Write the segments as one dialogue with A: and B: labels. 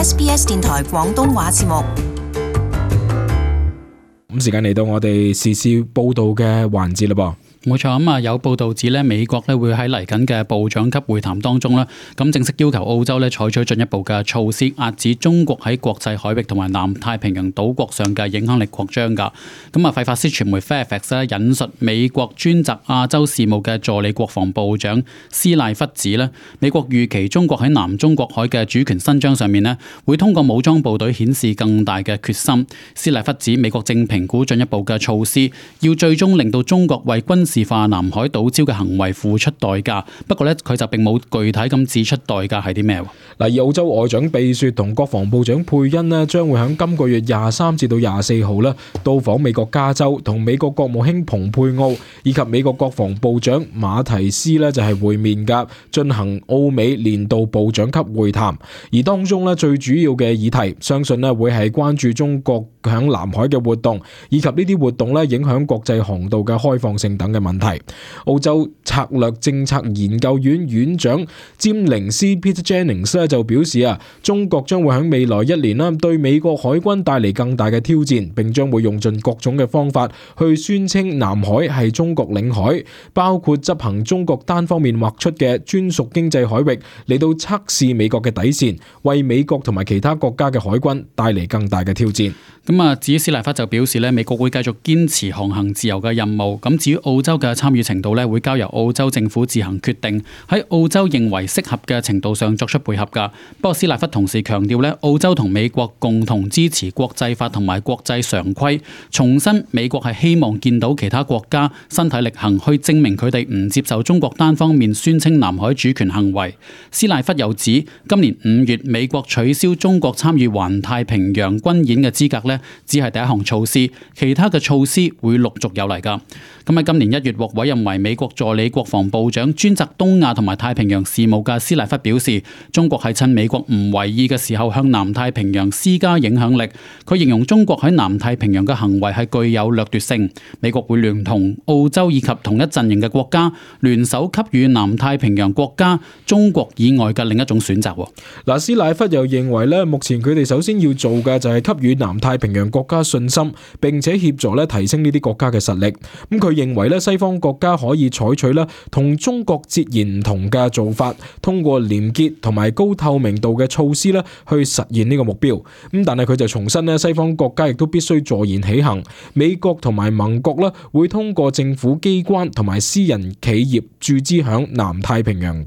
A: SBS 電台廣東話節目。
B: 咁時間嚟到我哋時事報道嘅環節啦噃。
C: 冇錯，咁啊有報道指咧，美國咧會喺嚟緊嘅部長級會談當中咧，咁正式要求澳洲咧採取進一步嘅措施，壓止中國喺國際海域同埋南太平洋島國上嘅影響力擴張㗎。咁啊，費法斯傳媒 Fairfax 咧引述美國專責亞洲事務嘅助理國防部長斯賴弗指咧，美國預期中國喺南中國海嘅主權伸張上面咧，會通過武裝部隊顯示更大嘅決心。斯賴弗指美國正評估進一步嘅措施，要最終令到中國為軍事化南海島礁嘅行為付出代價，不過咧佢就並冇具體咁指出代價係啲咩。
B: 嗱，而澳洲外長貝雪同國防部長佩恩咧，將會喺今個月23至到24號咧到訪美國加州，同美國國務卿蓬佩奧以及美國國防部長馬提斯咧就係會面㗎，進行澳美年度部長級會談。而當中咧最主要嘅議題，相信咧會係關注中國響南海嘅活動，以及呢啲活動咧影響國際航道嘅開放性等嘅問題。澳洲策略政策研究院院長詹寧斯 Peter Jennings 咧就表示啊，中國將會喺未來1年啦對美國海軍帶嚟更大嘅挑戰，並將會用盡各種嘅方法去宣稱南海係中國領海，包括執行中國單方面劃出嘅專屬經濟海域嚟到測試美國嘅底線，為美國同埋其他國家嘅海軍帶嚟更大嘅挑戰。
C: 咁啊，至於斯賴弗就表示咧，美國會繼續堅持航行自由嘅任務。咁至於澳洲嘅參與程度咧，會交由澳洲政府自行決定，喺澳洲認為適合嘅程度上作出配合㗎。不過斯賴弗同時強調咧，澳洲同美國共同支持國際法同埋國際常規，重申美國係希望見到其他國家身體力行去證明佢哋唔接受中國單方面宣稱南海主權行為。斯賴弗又指，今年5月美國取消中國參與環太平洋軍演嘅資格咧，只係第一項措施，其他嘅措施會陸續有嚟㗎。咁喺今年1月獲委任為美國助理國防部長，專責東亞同埋太平洋事務嘅斯賴弗表示，中國係趁美國唔為意嘅時候向南太平洋施加影響力。佢形容中國喺南太平洋嘅行為係具有掠奪性，美國會聯同澳洲以及同一陣營嘅國家聯手給予南太平洋國家中國以外嘅另一種選擇。
B: 嗱，斯賴弗又認為咧，目前佢哋首先要做嘅就係給予南太平洋國家信心，並且協助咧提升呢啲國家嘅實力。咁佢認為咧，西方國家可以採取咧同中國截然唔同嘅做法，通過廉潔同埋高透明度嘅措施咧去實現呢個目標。咁但係佢就重申咧，西方國家亦都必須坐言起行。美國同埋盟國咧會通過政府機關同埋私人企業注資響南太平洋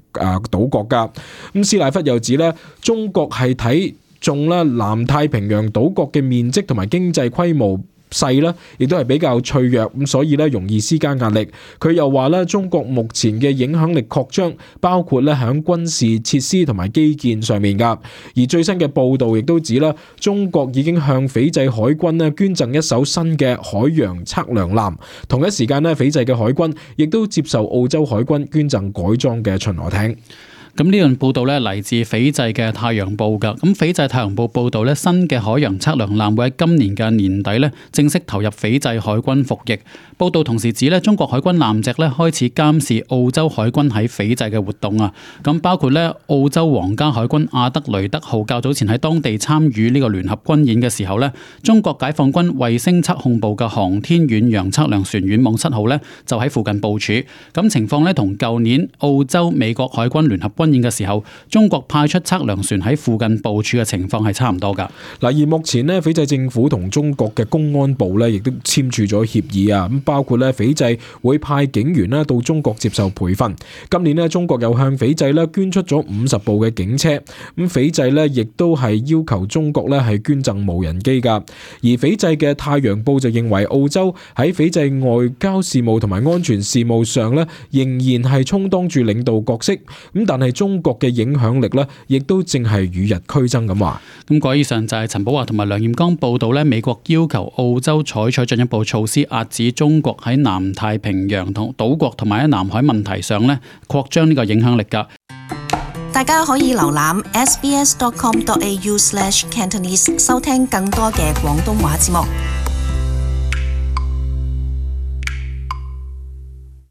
B: 島國家。咁斯賴弗又指咧，中國係睇中啦南太平洋島國嘅面積同埋經濟規模細啦，亦都係比較脆弱，咁所以咧容易施加壓力。佢又話咧，中國目前嘅影響力擴張，包括咧響軍事設施同埋基建上面噶。而最新嘅報道亦都指啦，中國已經向斐濟海軍咧捐贈一艘新嘅海洋測量艦。同一時間咧，斐濟嘅海軍亦都接受澳洲海軍捐贈改裝嘅巡邏艇。
C: 咁呢段報道咧嚟自斐濟嘅太陽報㗎。咁斐濟太陽報報道咧，新嘅海洋測量艦會喺今年嘅年底咧正式投入斐濟海軍服役。報道同時指咧，中國海軍艦隻咧開始監視澳洲海軍喺斐濟嘅活動啊。咁包括咧澳洲皇家海軍阿德雷德號較早前喺當地參與呢個聯合軍演嘅時候咧，中國解放軍衛星測控部嘅航天遠洋測量船遠望7號咧就喺附近部署。咁情況咧同舊年澳洲美國海軍聯合軍演嘅時候，中國派出測量船喺附近部署嘅情況係差唔多噶。
B: 嗱，而目前咧，斐濟政府同中國嘅公安部咧，亦都簽署咗協議啊。咁包括咧，斐濟會派警員咧到中國接受培訓。今年咧，中國又向斐濟咧捐出咗50部嘅警車。咁斐濟咧，亦都係要求中國咧係捐贈無人機噶。而斐濟嘅太陽報就認為，澳洲喺斐濟外交事務同埋安全事務上咧，仍然係充當住領導角色。咁但係中國嘅影響力咧，亦都正係與日俱增咁話。
C: 咁以上就係陳寶華同埋梁彥剛報道咧，美國要求澳洲採取進一步措施，壓止中國喺南太平洋同島國同埋喺南海問題上咧擴張呢個影響力㗎。
A: 大家可以瀏覽 sbs.com.au/Cantonese 收聽更多嘅廣東話節目。